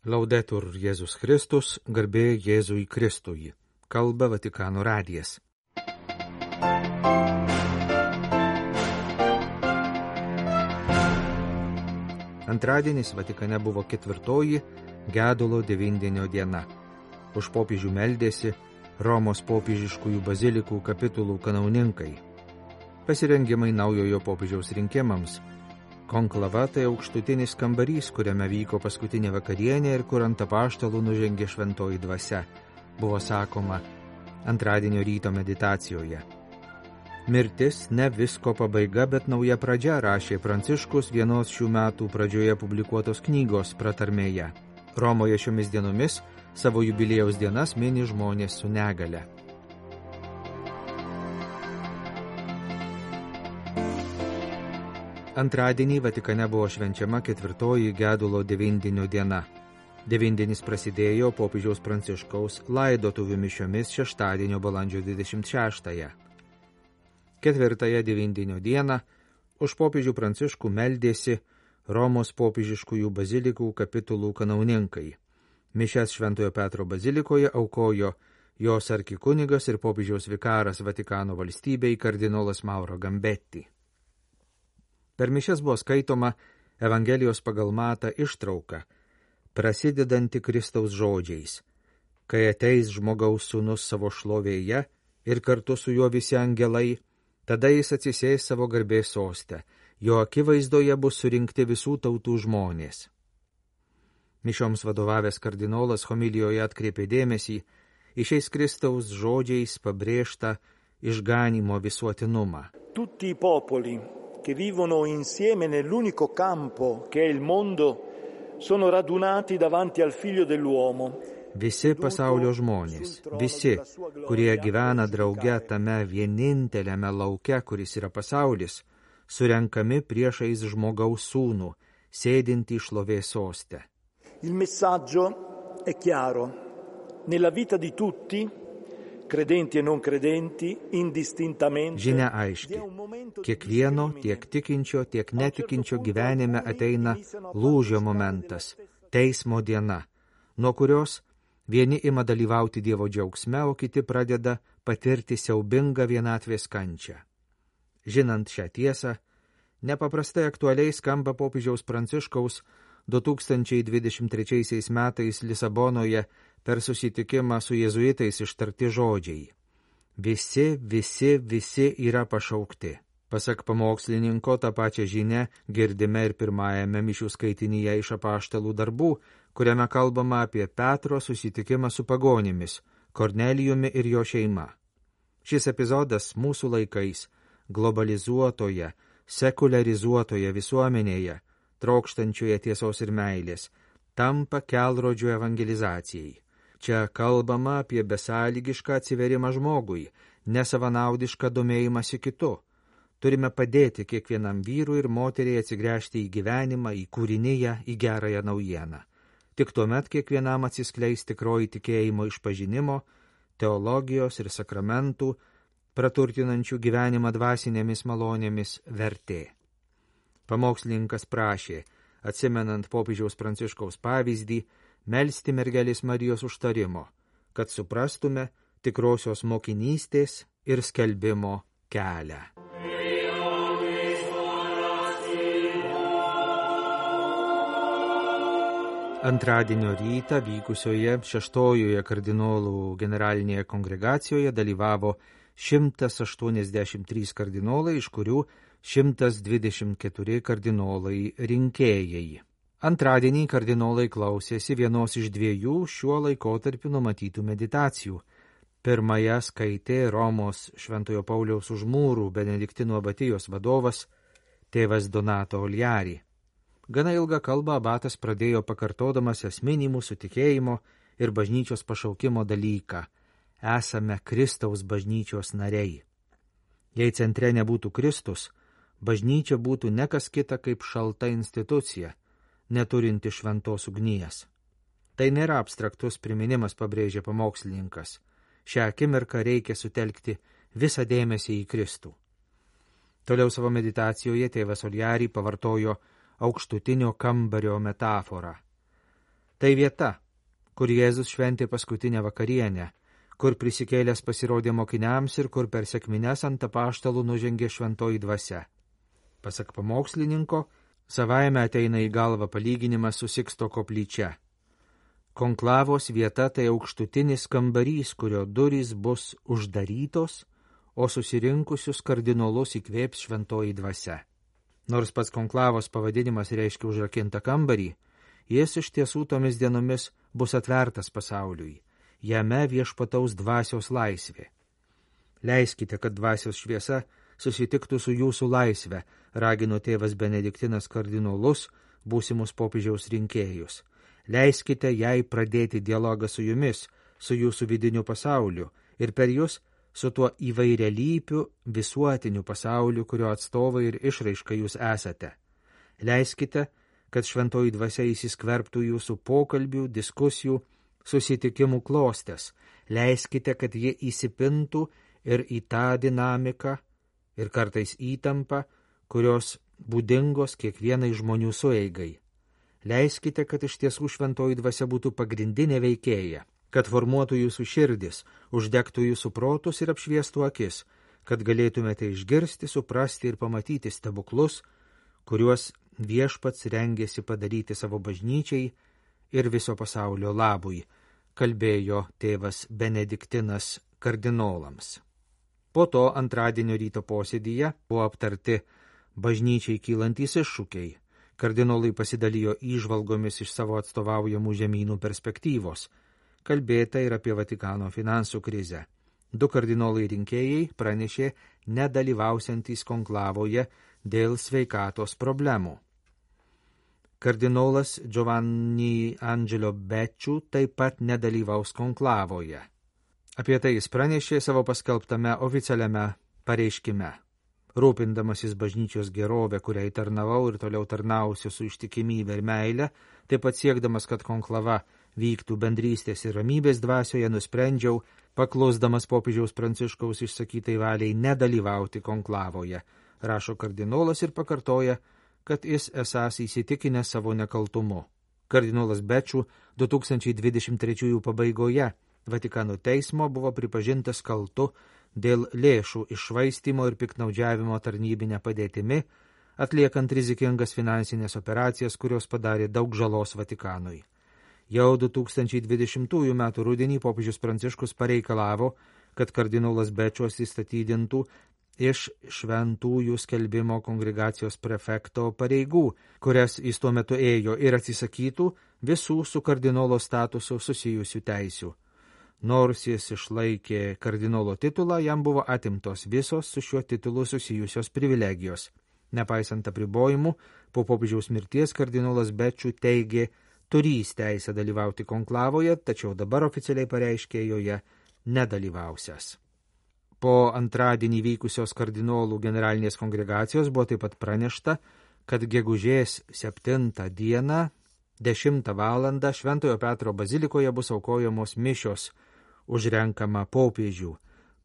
Laudetur Jėzus Kristus, garbė Jėzui Kristui. Kalba Vatikano radijas. Antradienis Vatikane buvo 4. gedulo 9 diena. Už popiežių meldėsi Romos popiežiškųjų bazilikų kapitulų kanauninkai. Pasirengimai naujojo popiežiaus rinkimams. Konklava tai aukštutinis kambarys, kuriame vyko paskutinė vakarienė ir kur ant apaštalų nužengė šventoji dvasia, buvo sakoma antradienio ryto meditacijoje. Mirtis ne visko pabaiga, bet nauja pradžia, rašė Pranciškus vienos šių metų pradžioje publikuotos knygos pratarmėje. Romoje šiomis dienomis savo jubiliejaus dienas mini žmonės su negale. Antradienį Vatikane buvo švenčiama 4. gedulo 9 diena. 9 prasidėjo popiežiaus Pranciškaus laidotuvių mišiomis šeštadienio balandžio 26. 4. 9 dieną už popiežių Pranciškų meldėsi Romos popiežiškųjų bazilikų kapitulų kanauninkai. Mišias Šventojo Petro bazilikoje aukojo jos arkikunigas ir popiežiaus vikaras Vatikano valstybei kardinolas Mauro Gambetti. Per mišias buvo skaitoma Evangelijos pagal Matą ištrauka, prasidedanti Kristaus žodžiais: kai ateis žmogaus sūnus savo šlovėje ir kartu su juo visi angelai, tada jis atsisės savo garbės soste, jo akivaizdoje bus surinkti visų tautų žmonės. Mišioms vadovavęs kardinolas homilijoje atkreipė dėmesį į šiais Kristaus žodžiais pabrėžtą išganymo visuotinumą. Tutti i popoli che vivono insieme nell'unico campo che è il mondo sono radunati davanti al figlio dell'uomo. Visi pasaulio žmonės, visi, kurie gyvena drauge tame vieninteliame lauke, kuris yra pasaulis, surenkami priešais žmogaus sūnų, sėdintį šlovės soste. Il messaggio è chiaro. Nella vita di tutti, credenti e non credenti, indistintamente. Žinia aiški. Kiekvieno, tiek tikinčio, tiek netikinčio gyvenime ateina lūžio momentas, teismo diena, nuo kurios vieni ima dalyvauti Dievo džiaugsme, o kiti pradeda patirti siaubingą vienatvės kančią. Žinant šią tiesą, nepaprastai aktualiai skamba popiežiaus Pranciškaus 2023 metais Lisabonoje per susitikimą su jėzuitais ištarti žodžiai. Visi yra pašaukti. Pasak pamokslininko, tą pačią žinią girdime ir pirmajame mišių skaitinyje iš apaštalų darbų, kuriame kalbama apie Petro susitikimą su pagonimis, Kornelijumi ir jo šeima. Šis epizodas mūsų laikais, globalizuotoje, sekularizuotoje visuomenėje, trokštančioje tiesos ir meilės, tampa kelrodžiu evangelizacijai. Čia kalbama apie besąlygišką atsiverimą žmogui, nesavanaudišką domėjimąsi kitu. Turime padėti kiekvienam vyrui ir moteriai atsigręžti į gyvenimą, į kūriniją, į gerąją naujieną. Tik tuomet kiekvienam atsiskleis tikroji tikėjimo išpažinimo, teologijos ir sakramentų, praturtinančių gyvenimą dvasinėmis malonėmis vertė. Pamokslininkas prašė, atsimenant popiežiaus Pranciškaus pavyzdį, melsti mergelės Marijos užtarimo, kad suprastume tikrosios mokinystės ir skelbimo kelią. Antradienio rytą vykusioje 6. kardinolų generalinėje kongregacijoje dalyvavo 183 kardinolai, iš kurių 124 kardinolai rinkėjai. Antradienį kardinolai klausėsi vienos iš 2 šiuo laikotarpiu numatytų meditacijų. Pirmąją skaitė Romos Šventojo Pauliaus už mūrų Benediktinų abatijos vadovas tėvas Donato Oliari. Gana ilgą kalbą abatas pradėjo pakartodamas esminį mūsų tikėjimo ir bažnyčios pašaukimo dalyką. Esame Kristaus bažnyčios nariai. Jei centre nebūtų Kristus, bažnyčia būtų ne kas kita kaip šalta institucija, neturinti šventos ugnies. Tai nėra abstraktus priminimas, pabrėžė pamokslininkas. Šią akimirką reikia sutelkti visą dėmesį į Kristų. Toliau savo meditacijoje tėvas Oliari pavartojo aukštutinio kambario metaforą. Tai vieta, kur Jėzus šventė paskutinę vakarienę, kur prisikėlęs pasirodė mokiniams ir kur per sekmines ant apaštalų nužengė šventoji dvasia. Pasak pamokslininko, savaime ateina į galvą palyginimas su Siksto koplyčia. Konklavos vieta tai aukštutinis kambarys, kurio durys bus uždarytos, o susirinkusius kardinolus įkvėps šventoji dvasia. Nors pats konklavos pavadinimas reiškia užrakintą kambarį, jis iš tiesų tomis dienomis bus atvertas pasauliui. Jame viešpataus dvasios laisvė. Leiskite, kad dvasios šviesa susitiktų su jūsų laisve, ragino tėvas Benediktinas kardinolus, būsimus popiežiaus rinkėjus. Leiskite jai pradėti dialogą su jumis, su jūsų vidiniu pasauliu ir per jūs su tuo įvairialypiu visuotiniu pasauliu, kurio atstovai ir išraiška jūs esate. Leiskite, kad šventoji dvasia įsiskverbtų jūsų pokalbių, diskusijų, susitikimų klostes. Leiskite, kad jie įsipintų ir į tą dinamiką ir kartais įtampą, kurios būdingos kiekvienai žmonių sueigai. Leiskite, kad iš tiesų šventoji dvasia būtų pagrindinė veikėja, kad formuotų jūsų širdis, uždegtų jūsų protus ir apšviestų akis, kad galėtumėte išgirsti, suprasti ir pamatyti stebuklus, kuriuos viešpats rengėsi padaryti savo bažnyčiai ir viso pasaulio labui, kalbėjo tėvas Benediktinas kardinolams. Po to antradienio ryto posėdyje buvo aptarti bažnyčiai kylantys iššūkiai. Kardinolai pasidalijo įžvalgomis iš savo atstovaujamų žemynų perspektyvos. Kalbėta ir apie Vatikano finansų krizę. 2 kardinolai rinkėjai pranešė nedalyvausiantys konklavoje dėl sveikatos problemų. Kardinolas Giovanni Angelo Becciu taip pat nedalyvaus konklavoje. Apie tai jis pranešė savo paskelbtame oficialiame pareiškime. Rūpindamasis bažnyčios gerovę, kuriai tarnavau ir toliau tarnausiu su ištikimybė ir meile, taip pat siekdamas, kad konklava vyktų bendrystės ir ramybės dvasioje, nusprendžiau, paklusdamas popiežiaus Pranciškaus išsakytai valiai, nedalyvauti konklavoje, rašo kardinolas ir pakartoja, kad jis esąs įsitikinęs savo nekaltumu. Kardinolas Becciu 2023 pabaigoje Vatikano teismo buvo pripažintas kaltu dėl lėšų iššvaistymo ir piktnaudžiavimo tarnybinę padėtimi, atliekant rizikingas finansinės operacijas, kurios padarė daug žalos Vatikanui. Jau 2020 m. rudenį popiežius Pranciškus pareikalavo, kad kardinolas Becciu atsistatydintų iš šventųjų skelbimo kongregacijos prefekto pareigų, kurias jis tuo metu ėjo, ir atsisakytų visų su kardinolo statusu susijusių teisių. Nors jis išlaikė kardinolo titulą, jam buvo atimtos visos su šiuo titulu susijusios privilegijos. Nepaisant apribojimų, po popiežiaus mirties kardinolas Becciu teigė turįs teisę dalyvauti konklavoje, tačiau dabar oficialiai pareiškė joje nedalyvausias. Po antradienį vykusios kardinolų generalinės kongregacijos buvo taip pat pranešta, kad gegužės 7 dieną 10 valandą Šventojo Petro bazilikoje bus aukojamos mišios už renkamą popiežių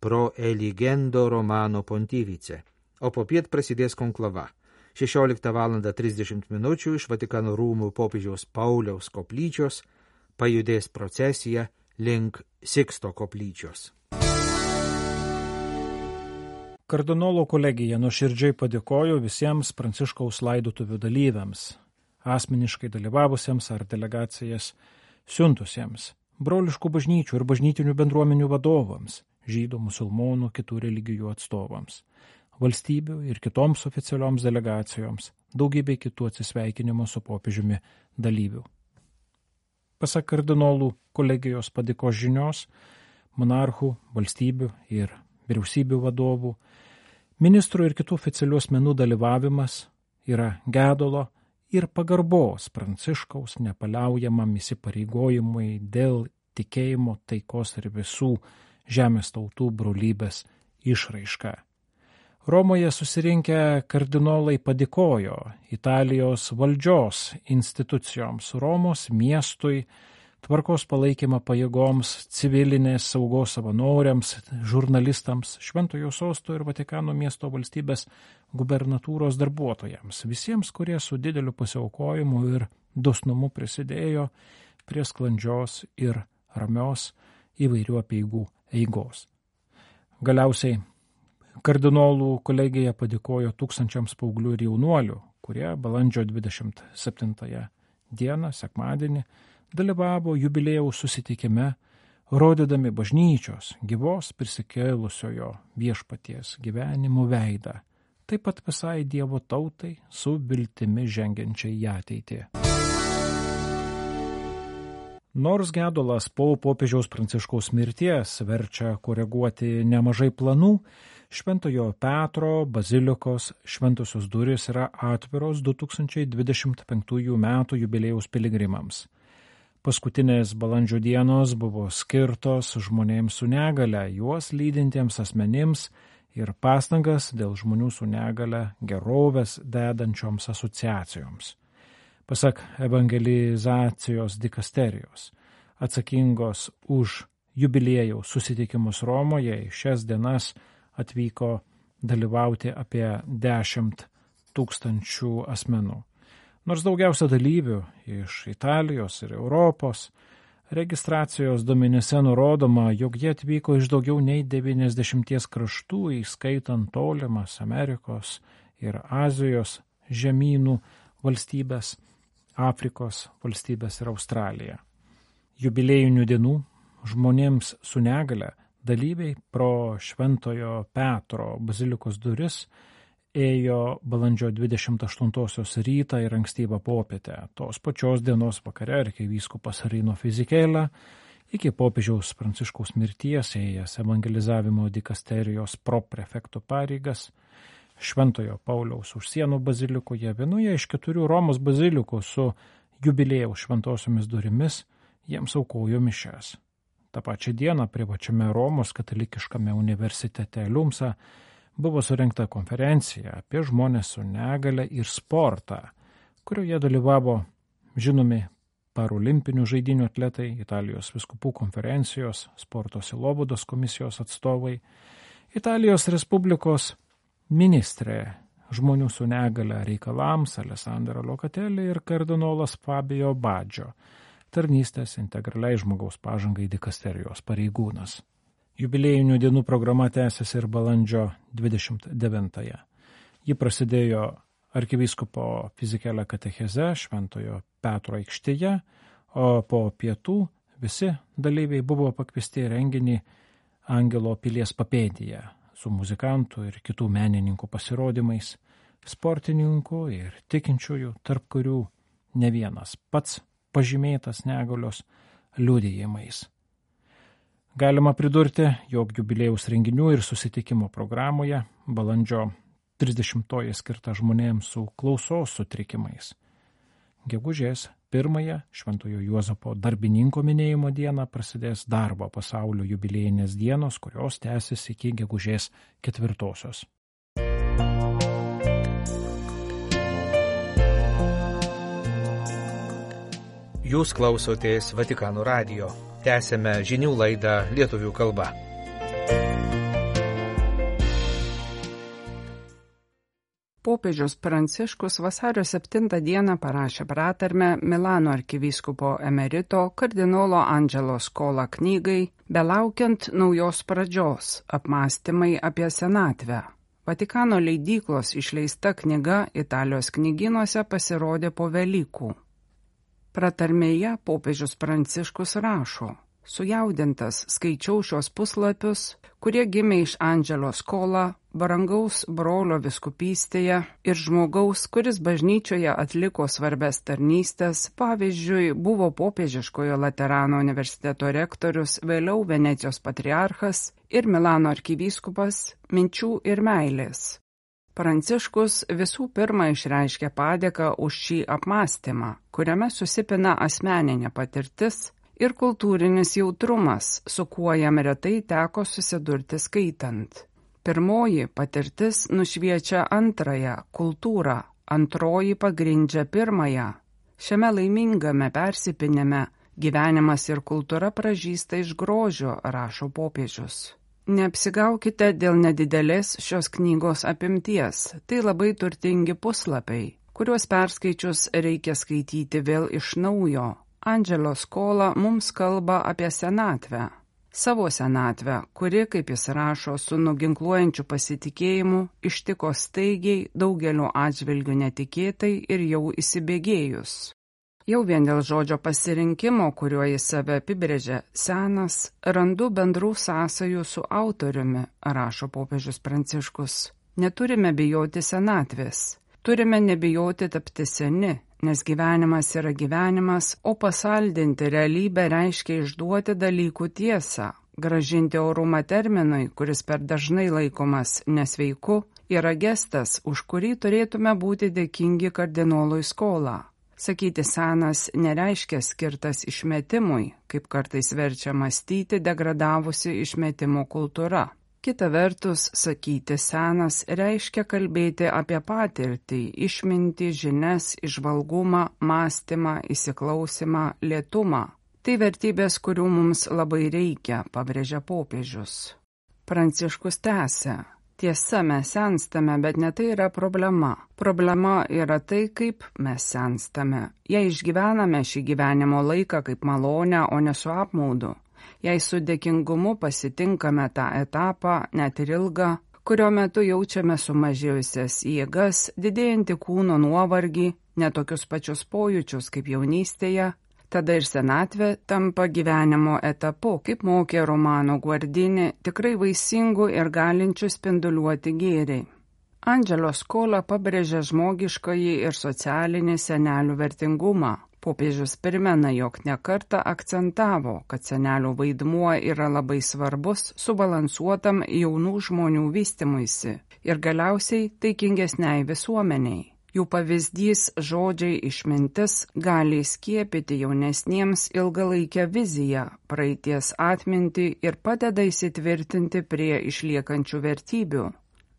pro eligendo Romano pontifice, o popiet prasidės konklava. 16:30 iš Vatikano rūmų popiežiaus Pauliaus koplyčios pajudės procesija link Siksto koplyčios. Kardinolo kolegija nuoširdžiai padėkojo visiems Pranciškaus laidotuvių dalyviams, asmeniškai dalyvavusiems ar delegacijas siuntusiems, broliškų bažnyčių ir bažnytinių bendruomenių vadovams, žydų, musulmonų, kitų religijų atstovams, valstybių ir kitoms oficialioms delegacijoms, daugybė kitų atsisveikinimo su popiežiumi dalyvių. Pasak kardinolų kolegijos padėkos žinios, monarchų, valstybių ir vyriausybių vadovų, ministrų ir kitų oficialių asmenų dalyvavimas yra gedulo ir pagarbos Pranciškaus nepaliaujamam įsipareigojimui dėl tikėjimo, taikos ir visų žemės tautų brolybės išraiška. Romoje susirinkę kardinolai padėkojo Italijos valdžios institucijoms, Romos miestui, tvarkos palaikymą pajėgoms, civilinės saugos savanoriams, žurnalistams, Šventojo sosto ir Vatikano miesto valstybės gubernatūros darbuotojams, visiems, kurie su dideliu pasiaukojimu ir dosnumu prisidėjo, prie sklandžios ir ramios įvairių apeigų eigos. Galiausiai kardinolų kolegija padėkojo tūkstančiams paauglių ir jaunuolių, kurie balandžio 27 dieną, sekmadienį, dalyvavo jubiliejaus susitikime, rodydami bažnyčios gyvos prisikėlusiojo viešpaties gyvenimo veidą, taip pat visai Dievo tautai su viltimi žengiančiai į ateitį. Nors gedulas po popiežiaus Pranciškaus mirties verčia koreguoti nemažai planų, Šventojo Petro bazilikos šventosios durys yra atviros 2025 metų jubiliejaus piligrimams. Paskutinės balandžio dienos buvo skirtos žmonėms su negale, juos lydintiems asmenims ir pastangas dėl žmonių su negale gerovės dedančioms asociacijoms. Pasak evangelizacijos dikasterijos, atsakingos už jubiliejaus susitikimus Romoje, į šias dienas atvyko dalyvauti apie 10 000 asmenų. Nors daugiausia dalyvių iš Italijos ir Europos, registracijos duomenyse nurodoma, jog jie atvyko iš daugiau nei 90 kraštų, įskaitant tolimas Amerikos ir Azijos žemynų valstybės, Afrikos valstybės ir Australija. Jubiliejinių dienų žmonėms su negale dalyviai pro Šventojo Petro bazilikos duris ėjo balandžio 28 rytą ir ankstyvą popietę. Tos pačios dienos vakare arkivyskupas Rino Fizikėlė iki popiežiaus Pranciškaus mirties ėjęs evangelizavimo dikasterijos proprefekto pareigas Šventojo Pauliaus už sienų bazilikoje, vienoje iš 4 Romos bazilikų su jubiliejaus šventosiomis durimis, jiems aukojo mišias. Ta pačia diena privačiame Romos katalikiškame universitete Liumsa buvo surengta konferencija apie žmonės su negale ir sportą, kurioje dalyvavo žinomi parolimpinių žaidynių atletai, Italijos vyskupų konferencijos, sporto sielovados komisijos atstovai, Italijos Respublikos ministrė žmonių su negale reikalams Alessandra Locatelli ir kardinolas Fabio Baggio, tarnystės integraliai žmogaus pažangai dikasterijos pareigūnas. Jubiliejinių dienų programa tęsiasi ir balandžio 29-ąją. Ji prasidėjo arkivyskupo Fizikėlė katecheze Šventojo Petro aikštėje, o po pietų visi dalyviai buvo pakviesti į renginį Angelo pilies papėdėje su muzikantų ir kitų menininkų pasirodymais, sportininkų ir tikinčiųjų, tarp kurių ne vienas pats pažymėtas negalios liudijimais. Galima pridurti, jog jubiliejaus renginių ir susitikimo programoje balandžio 30-oji skirta žmonėms su klausos sutrikimais. Gegužės 1-ąją Šventojo Juozapo darbininko minėjimo dieną prasidės darbo pasaulio jubiliejinės dienos, kurios tęsis iki gegužės 4-osios. Jūs klausotės Vatikano radijo. Tęsėme žinių laidą lietuvių kalba. Popiežius Pranciškus vasario 7 dieną parašė pratarmę Milano arkivyskupo emerito kardinolo Angelo Scola knygai Belaukiant naujos pradžios – apmąstymai apie senatvę. Vatikano leidyklos išleista knyga Italijos knygynuose pasirodė po Velykų. Pratarmėje popiežius Pranciškus rašo: sujaudintas skaičiau šios puslapius, kurie gimė iš Angelo Scola, brangaus brolio vyskupystėje ir žmogaus, kuris bažnyčioje atliko svarbias tarnystės, pavyzdžiui, buvo popiežiškojo Laterano universiteto rektorius, vėliau Venecijos patriarchas ir Milano arkivyskupas, minčių ir meilės. Pranciškus visų pirma išreiškė padėką už šį apmąstymą, kuriame susipina asmeninė patirtis ir kultūrinis jautrumas, su kuo jam retai teko susidurti skaitant. Pirmoji patirtis nušviečia antrąją – kultūrą, antroji pagrindžia pirmąją. Šiame laimingame persipinime gyvenimas ir kultūra pražysta iš grožio, rašo popiežius. Neapsigaukite dėl nedidelės šios knygos apimties, tai labai turtingi puslapiai, kuriuos perskaičius reikia skaityti vėl iš naujo. Angelo Scola mums kalba apie senatvę. Savo senatvę, kuri, kaip jis rašo, su nuginkluojančiu pasitikėjimu ištiko staigiai, daugeliu atžvilgių netikėtai ir jau įsibėgėjus. Jau vien dėl žodžio pasirinkimo, kuriuo jis save apibrėžia, senas, randu bendrų sąsajų su autoriumi, rašo popiežius Pranciškus. Neturime bijoti senatvės. Turime nebijoti tapti seni, nes gyvenimas yra gyvenimas, o pasaldinti realybę reiškia išduoti dalykų tiesą. Grąžinti orumą terminui, kuris per dažnai laikomas nesveiku, yra gestas, už kurį turėtume būti dėkingi kardinolui Scola. Sakyti senas nereiškia skirtas išmetimui, kaip kartais verčia mąstyti degradavusi išmetimo kultūra. Kita vertus, sakyti senas reiškia kalbėti apie patirtį, išmintį, žinias, įžvalgumą, mąstymą, įsiklausimą, lėtumą. Tai vertybės, kurių mums labai reikia, pabrėžia popiežius. Pranciškus tęsia. Tiesa, mes senstame, bet ne tai yra problema. Problema yra tai, kaip mes senstame. Jei išgyvename šį gyvenimo laiką kaip malonę, o ne su apmaudu. Jei su dėkingumu pasitinkame tą etapą, net ir ilgą, kurio metu jaučiame sumažėjusias jėgas, didėjantį kūno nuovargį, netokius pačius pojūčius kaip jaunystėje, tada ir senatvė tampa gyvenimo etapu, kaip mokė Romano Guardini, tikrai vaisingų ir galinčių spinduliuoti gėrį. Angelo Scola pabrėžia žmogiškąjį ir socialinį senelių vertingumą. Popiežius primena, jog nekartą akcentavo, kad senelių vaidmuo yra labai svarbus subalansuotam jaunų žmonių vystymuisi ir galiausiai taikingesniai visuomeniai. Jų pavyzdys, žodžiai, išmintis gali skiepyti jaunesniems ilgalaikę viziją, praeities atmintį ir padeda įsitvirtinti prie išliekančių vertybių.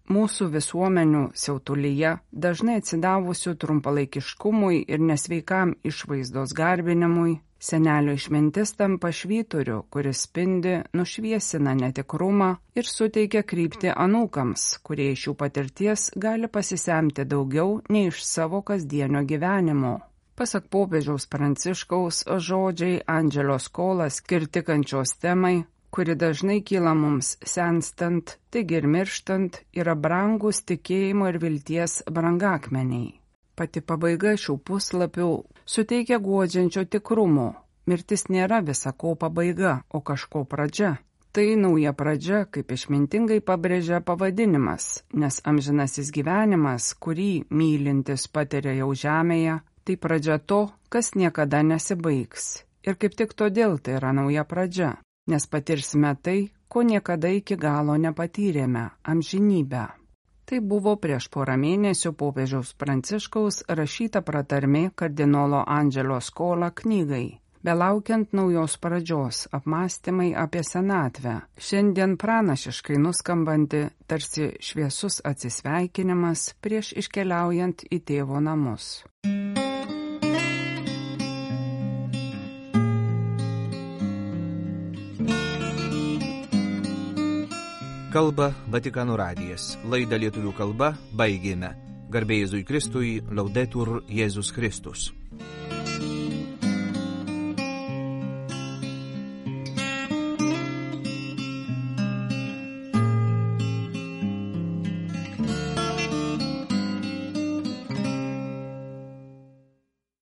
Mūsų visuomenių siautulyje, dažnai atsidavusių trumpalaikiškumui ir nesveikam išvaizdos garbinimui, senelio išmintis tampa švyturiu, kuris spindi, nušviesina netikrumą ir suteikia kryptį anūkams, kurie iš jų patirties gali pasisemti daugiau nei iš savo kasdienio gyvenimo. Pasak popiežiaus Pranciškaus, žodžiai Angelo Scola skirti kančios temai, kuri dažnai kyla mums senstant, taigi ir mirštant, yra brangus tikėjimo ir vilties brangakmeniai. Pati pabaiga šių puslapių suteikia guodžiančio tikrumo. Mirtis nėra visako pabaiga, o kažko pradžia. Tai nauja pradžia, kaip išmintingai pabrėžia pavadinimas, nes amžinasis gyvenimas, kurį mylintis patiria jau žemėje, tai pradžia to, kas niekada nesibaigs. Ir kaip tik todėl tai yra nauja pradžia, nes patirsime tai, ko niekada iki galo nepatyrėme – amžinybę. Tai buvo prieš porą mėnesių popiežiaus Pranciškaus rašyta pratarmė kardinolo Angelo Scola knygai Belaukiant naujos pradžios – apmąstymai apie senatvę. Šiandien pranašiškai nuskambanti tarsi šviesus atsisveikinimas prieš iškeliaujant į tėvo namus. Kalba Vatikano radijas. Laidą lietuvių kalba baigėme. Garbė Jėzui Kristui, Laudetur Jėzus Kristus.